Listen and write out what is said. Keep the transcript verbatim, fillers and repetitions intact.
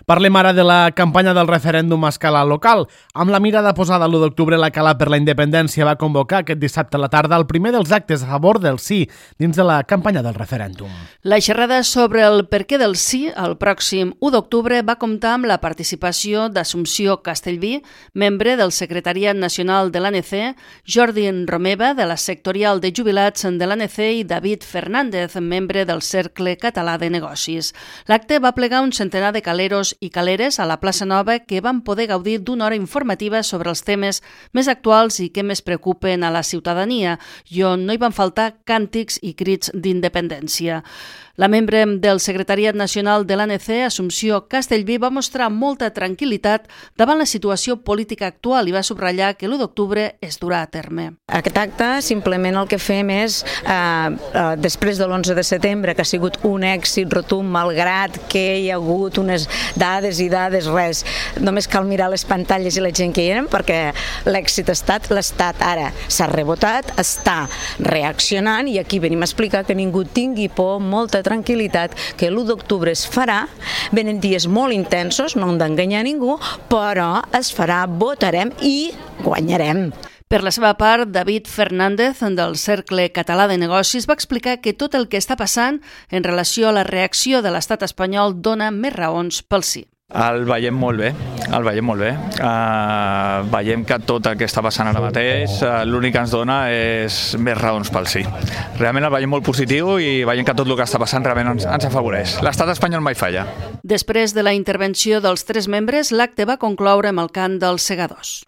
Parlem ara de la campanya del referèndum a escala local. Amb la mirada posada l'u d'octubre, la Cala per la Independència va convocar aquest dissabte a la tarda el primer dels actes a favor del sí dins de la campanya del referèndum. La xerrada sobre el perquè del sí el pròxim u d'octubre va comptar amb la participació d'Assumpció Castellví, membre del Secretariat Nacional de l'A N C, Jordi Romeva, de la sectorial de jubilats de l'A N C i David Fernández, membre del Cercle Català de Negocis. L'acte va plegar un centenar de caleros i caleres a la plaça Nova que van poder gaudir d'una hora informativa sobre els temes més actuals i que més preocupen a la ciutadania i on no hi van faltar càntics i crits d'independència. La membre del Secretariat Nacional de l'A N C, Assumpció Castellví, va mostrar molta tranquil·litat davant la situació política actual i va subratllar que l'u d'octubre es durà a terme. Aquest acte simplement el que fem és, eh, eh, després de l'onze de setembre, que ha sigut un èxit rotund, malgrat que hi ha hagut unes dades i dades, res, només cal mirar les pantalles i la gent que hi eren, perquè l'èxit ha estat l'Estat. Ara s'ha rebotat, està reaccionant i aquí venim a explicar que ningú tingui por, molta tranquil·litat, que l'u d'octubre es farà, venen dies molt intensos, no hem d'enganyar ningú, però es farà, votarem i guanyarem. Per la seva part, David Fernández, del Cercle Català de Negocis, va explicar que tot el que està passant en relació a la reacció de l'estat espanyol dona més raons pel sí. El veiem molt bé, el veiem molt bé. Uh, veiem que tot el que està passant ara mateix, uh, l'únic que ens dona és més raons pel sí. Realment el veiem molt positiu i veiem que tot el que està passant realment ens, ens afavoreix. L'estat espanyol mai falla. Després de la intervenció dels tres membres, l'acte va concloure amb el cant dels segadors.